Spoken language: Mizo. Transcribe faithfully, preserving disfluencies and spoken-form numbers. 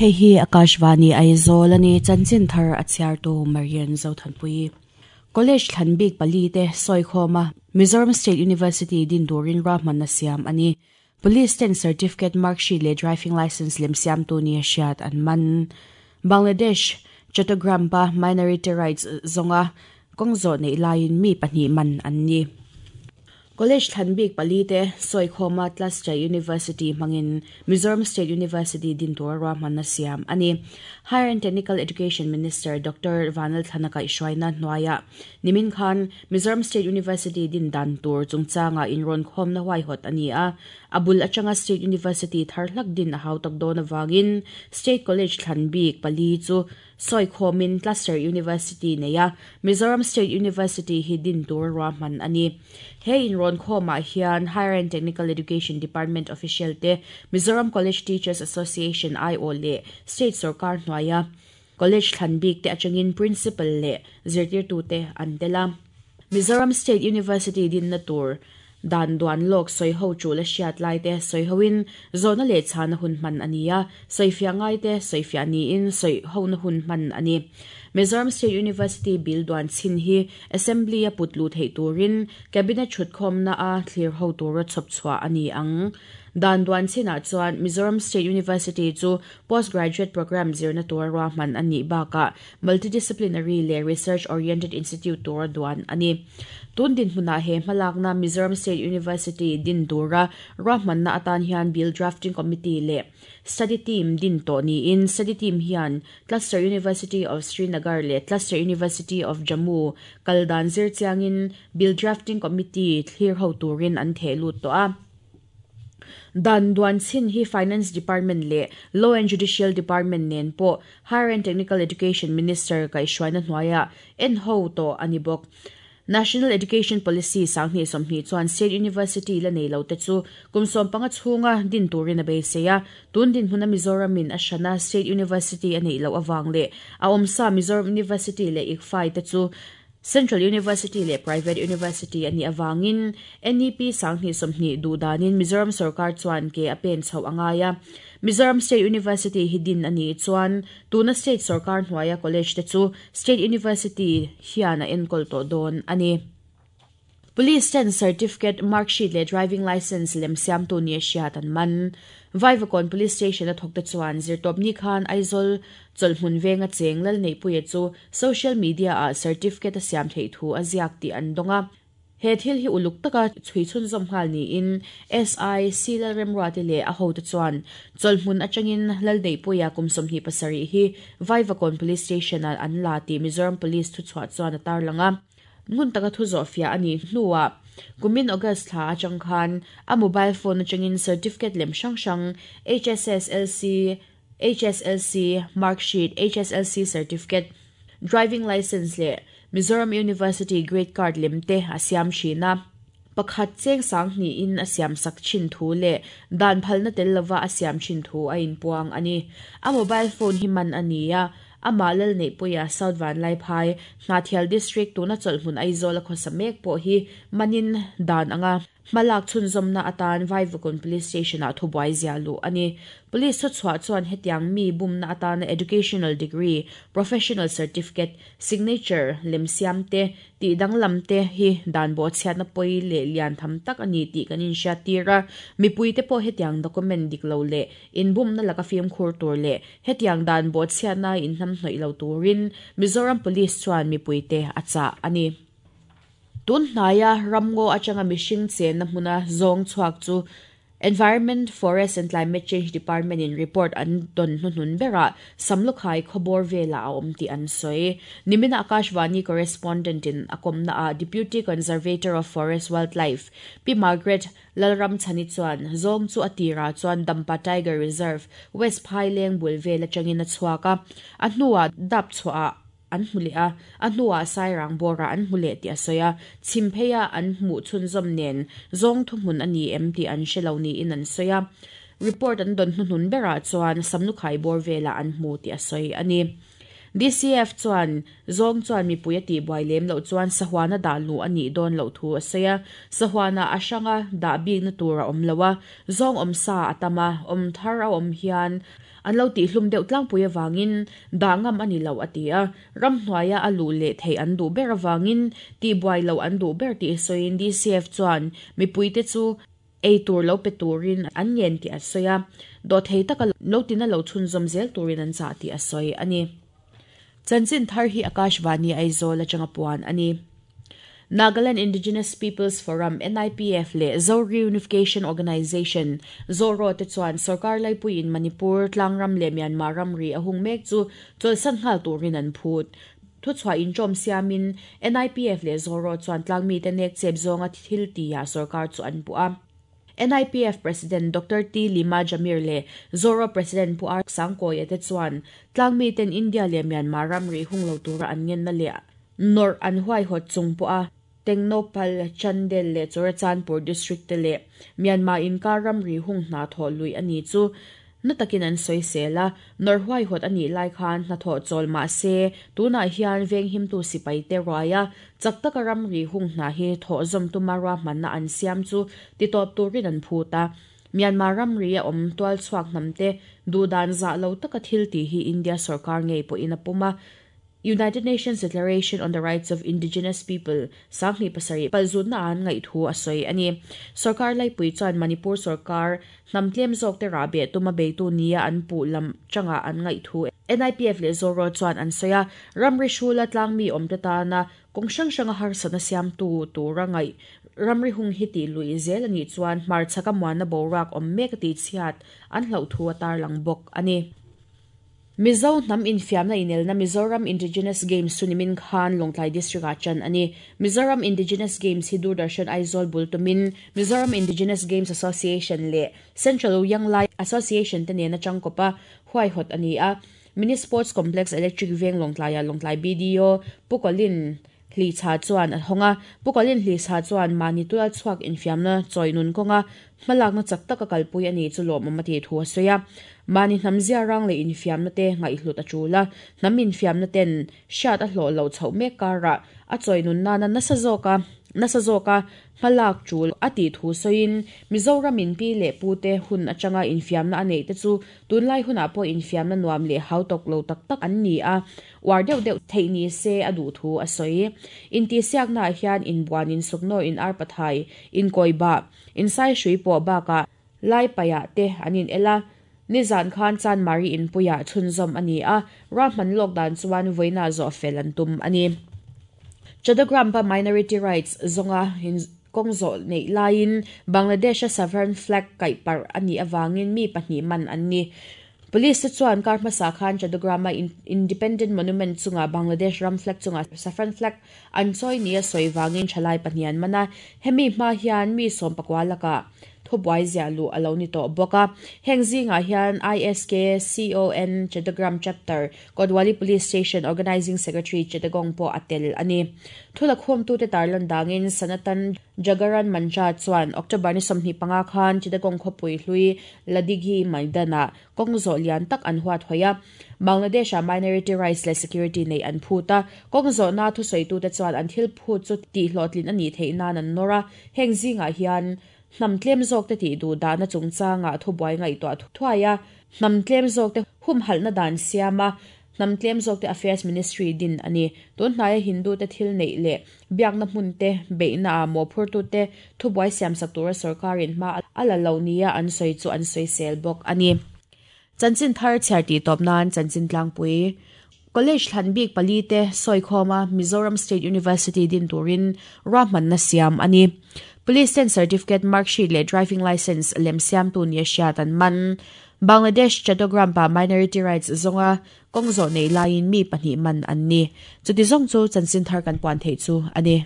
Hei hi Akashvani Aizawl ani chanchin thar a chhiar tu Marian Zothanpui. College thlan bik pali te sawikhawma Mizoram State University din turin ruahmanna siam ani. Police ten certificate marksheet leh driving license lem siam tu ni a hriat an man. Bangladesh Chattogram pa minority rights zawnga kawng zawh neih laiin mi pahnih man an ni. College thlan bik pali te sawikhawma Cluster University hmangin Mizoram State University din tur ruahmanna siam ani. Higher and Technical Education Minister Doctor Vanal Thanaka Ishwaina Hnuaia Nimin Khan Mizoram State University din dan tur chungchanga inrawn khawmna huaihawt ani a. Abul atanga State University thar hlak din a hautak dawn awangin State College thlan bik pali chu sawikhawmin Cluster University neia Mizoram State University hi din tur ruahman ani. He inrawn khawmah hian Higher and Technical Education Department official te Mizoram College Teachers Association I O leh State Sorkar hnuaia College thlan bik te atangin Principal leh zirtirtu te an tel a. Mizoram State University din na tur dan duan lawk sawi ho chu la hriat lai te sawi hoin zawhna leh chhana hun hman ani a, sawifiah ngai te sawifiah niin sawi ho na hun hman ani. Mizoram State University bill duan chin hi Assembly a put lu thei turin Cabinet thutkhawmna a thlir ho tura chhawp chhuah ani ang. Dan duan chinah chuan Mizoram State University chu postgraduate program zirna tur ruahman ani bakah multidisciplinary leh research oriented institute tur duan ani. Tun din hmuna he hmalakna Mizoram State University din tura ruahmanna atan hian bill drafting committee leh study team din tawh niin study team hian Cluster University of Srinagar leh Cluster University of Jammu kaldan zir chiangin bill drafting committee thlir ho turin an theh lut tawh a. Dan duan chin hi Finance Department leh Law and Judicial Department nen pawh Higher and Technical Education Minister kaihhruaina hnuaia en ho tawh ani bawk. National Education Policy sanghnih sawmhnih chuan State University la nei lo te chu kum sawm panga chhunga din turin a beisei a. Tun din hmuna Mizoramin a hrana State University a nei lo awang leh a awmsa Mizoram University leh I C F A I te chu Central University leh Private University ani awangin N E P sanghnih sawmhnih duhdanin Mizoram Sarkar chuan ke a pen chho angai a. Mizoram State University hi din ani chuan tuna State Sarkar hnuaia college te chu State University hian a enkawl tawh dawn ani. Police ten certificate marksheet leh driving license lem siam tu ni a hriat an man. Vaivakawn Police Station a thawk te chuan zirtawpni khan Aizawl chawlhmun venga cheng lal neihpuia chu social media ah certificate a siam theih thu a ziak tih an dawng a. He thil hi uluk taka chhui chhun zawm nghal niin S I C lal remruate leh a ho te chuan chawlhmun atangin lal neihpuia kum sawmhnih pasarih hi Vaivakawn Police Station ah an la tih Mizoram Police thuchhuah chuan a tarlang a. Ngun taka thu zawh fiah ani hnuah kumin August thla atang khan a mobile phone atangin certificate lem hrang hrang H S S L C, H S L C marksheet, H S L C certificate, driving license leh Mizoram University grade card lem te a siam thin a. Pakhat cheng sang hnihin a siam sak thin thu leh dan phalna tel lova a siam thin thu a inpuang ani. A mobile phone hi man ani a. Ama lal neihpuia South Vanlaiphai Hnahthial District tuna chawlhmun Aizawl a khawsa mek pawh hi manin dan anga hmalak chhunzawmna atan Vaivakawn Police Station ah thubuai zia luh ani. Police thuchhuah chuan hetiang mi bumna atana educational degree, professional certificate, signature lem siam te tih danglam te hi dan bawh chhiatna pawi leh lian tham tak ani tih kan inhriat tir a. Mipui te pawh hetiang document dik lo leh inbumna laka fimkhur tur leh hetiang dan bawh chhiatna inhnam hnawih lo turin Mizoram Police chuan mipui te a chah ani. Tun hnaia ramngaw atanga mihring chenna hmuna zawng chhuak chu Environment, Forest and Climate Change Department in report an don hnuhnun berah Samlukhai khawbawr vela a awm tih an sawi. Nimina Akashvani correspondent in a kawmna a Deputy Conservator of Forest Wildlife Pi Margaret Lalram Chani chuan zawng chu a tira chuan Dampa Tiger Reserve West Phaileng bul vel atangin a chhuak a. A hnuah dap chhuah an hmu leh a, a hnuah sairang bawrah an hmu leh tih a sawi a. Chhim pheia an hmuh chhunzawm nen zawng thuhmun ani em tih an hre lo niin an sawi a. Report an don hnuhnun berah chuan Samlukhai bawr velah an hmu tih a sawi ani. D C F chuan zong chuan mi puia ti buai lem lo chuan sahuana da lu ani don lo thu aseya sahuana asanga da bik na tura om lowa zong om sa atama om thar a om hian an lo ti hlum deuh tlang puia wangin da ngam ani lo atia ram hnuaia alu le thei an du ber awangin ti buai lo an du ber ti soin D C F chuan mi puite chu ei tur lo pe turin an ngen ti asoya do thei taka lo tina lo chhun zom zel turin an cha ti asoi ani. Chanchin thar hi Akashvani Aizawl atanga puan ani. Nagaland Indigenous Peoples Forum N I P F le Zo Reunification Organization Zoro te chuan sarkar laipui in Manipur tlangram le Myanmar ramri ahung mek chu chawlsan nghal turin an phut. Thu chhuah in chawm siamin N I P F le Zoro chuan tlangmi te nek chep zawnga thil tia sarkar chu an pu a. N I P F President Doctor T. Lima Jamir le Zoro President Pu R. Sangkoya te chuan tlangmi ten India le Myanmar ramri hung lo tura an ngen na le nor an huai hot chung pu a. Tengnopal Chandel le Churachandpur District te le Myanmar in ka ramri hung hna tho lui ani chu na takin an soi sela nor huai hot ani lai khan hna tho chol ma se tuna hian veng him tu sipai te roya chaktaka ramri hung hna hi tho zom tumara manna an siam chu ti top turin an phuta Myanmar ramri a om tual chuak namte dudan za lo taka thil ti hi India sarkar ngei po ina puma United Nations Declaration on the Rights of Indigenous People sangni pasari palzun na an ngai thu asoi ani sarkar lai pui chuan Manipur sarkar namtlem zok te rabe tuma beitu nia an pu lam changa an ngai thu N I P F le Zoro chuan an soya ramri shula tlangmi om te ta na kong sang sanga har sana siam tu tu rangai ramri hung hiti lui zel ani chuan mar chaka muan na borak om mek ti chiat an hlo thu atar lang bok ani. Mizo nam infiam na inel na Mizoram Indigenous Games sunimin khan Longtlai District a chan ani. Mizoram Indigenous Games hi Doordarshan Aizawl bultumin Mizoram Indigenous Games Association le Central Young Lai Association te nena changkopa huai hot ani a. Mini Sports Complex Electric Veng Longtlai a Longtlai B D O Pukolin hli cha chuan honga Pukolin hli cha chuan mani tual chuak infiam na choinun konga hmalak na chak taka kalpui ani chu lo mamati thu soya mani namzia rang le infiam na te ngai hlut achula nam infiam na ten shat a hlo lo chho me kara a choinun na na nasa zoka nasa zoka hmalak chul ati thu soin Mizoram in pi le pu te hun achanga infiam na anei te chu tunlai huna po infiam na nuam le hautok lo tak tak an ni a war deuh deuh theini se adu thu a soi in ti siak na hian in buan in sukno in ar pathai in koiba in sai shui po ba ka lai paya te anin ela nizan khan chan mari in puya chhunzom ani a rahman lokdan chuan voina zo felan tum ani. Chattogram pa minority rights zonga hin kongzo nei lain Bangladesh sovereign flag kai par ani awangin mi pahnih man anni. Police chuan kar hmasa khan Chattogram Independent Monument chunga Bangladesh ram flag chunga saffron flag an choi nia soi wangin thalai pahnian mana hemi hma hian mi som pakwalaka thubuai zia lu alo ni to boka hengzinga hian I S K C O N Chattogram chapter Kodwali Police Station Organizing Secretary Chittagong po atel ani thula khom tu te tarlan dangin Sanatan Jagaran Mancha chuan October ni somhni panga khan Chittagong khopui hlui Ladighi Maidana kongzo lian tak an huat hoya Bangladesh minority rights le security nei an phuta kongzo na thu soi tu te chuan an thil phu chu ti hlotlin ani theina nan nora hengzinga hian nam tlem zawk te ti du da na chungchanga thubuai ngai to thuaya nam tlem zawk te hum hal na dan siama nam tlem zawk te affairs ministry din ani tun hnai Hindu te thil nei le biak na hmun te beina mo phur tu te thubuai siam sak tura sarkarin ma ala lo nia an soi chu an soi sel bok ani. Chanchin thar charti top nan chanchin tlangpui College Thlanbik pali te soikhoma Mizoram State University din turin rahman na siam ani. Police ten certificate mark sheet le driving license lem siam tu nia siatan man Bangladesh Chattogram pa minority rights zonga kongzo nei lain mi pahnih man an ni. Chuti zong chu chanchin thar kan puan thei chu ani.